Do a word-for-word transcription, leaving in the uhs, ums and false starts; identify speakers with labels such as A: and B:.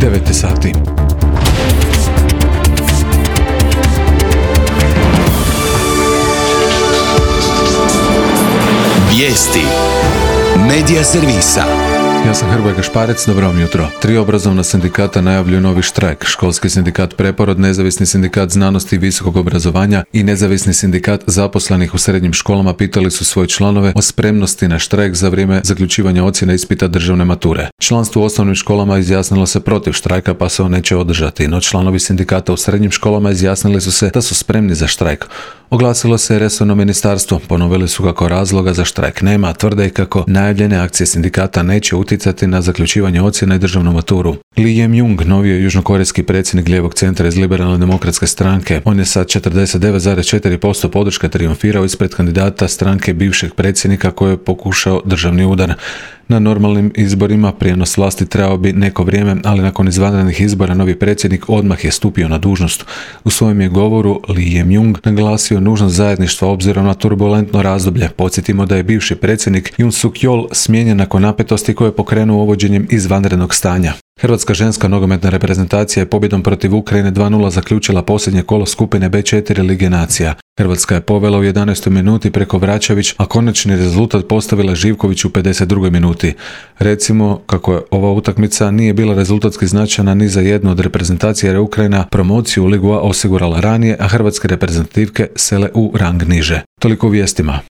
A: devet sati.
B: Vijesti Medija servisa.
A: Ja sam Hrvoje Gašparec, dobro vam jutro. Tri obrazovna sindikata najavljuju novi štrajk. Školski sindikat Preporod, Nezavisni sindikat znanosti i visokog obrazovanja i Nezavisni sindikat zaposlenih u srednjim školama pitali su svoje članove o spremnosti na štrajk za vrijeme zaključivanja ocjena ispita državne mature. Članstvo u osnovnim školama izjasnilo se protiv štrajka pa se on neće održati, no članovi sindikata u srednjim školama izjasnili su se da su spremni za štrajk. Oglasilo se resorno ministarstvo, ponovili su kako razloga za štrajk nema, tvrde i kako najavljene akcije sindikata neće utjecati na zaključivanje ocjena i državnu maturu. Lee Jae-myung, novi je južnokorejski predsjednik lijevog centra iz Liberalne demokratske stranke. On je sa četrdeset devet zarez četiri posto podrške trijumfirao ispred kandidata stranke bivšeg predsjednika koji je pokušao državni udar. Na normalnim izborima prijenos vlasti trebao bi neko vrijeme, ali nakon izvanrednih izbora novi predsjednik odmah je stupio na dužnost. U svojem je govoru Lee Jae-myung naglasio nužnost zajedništva obzirom na turbulentno razdoblje. Podsjetimo da je bivši predsjednik Yoon Suk-yeol smijenjen nakon napetosti koje je pokrenuo uvođenjem izvanrednog stanja. Hrvatska ženska nogometna reprezentacija je pobjedom protiv Ukrajine dva nula zaključila posljednje kolo skupine be četiri Lige nacija. Hrvatska je povela u jedanaestoj minuti preko Vraćević, a konačni rezultat postavila Živković u pedeset drugoj minuti. Recimo kako je ova utakmica nije bila rezultatski značajna ni za jednu od reprezentacija jer je Ukrajina promociju u Ligu A osigurala ranije, a hrvatske reprezentativke sele u rang niže. Toliko u vijestima.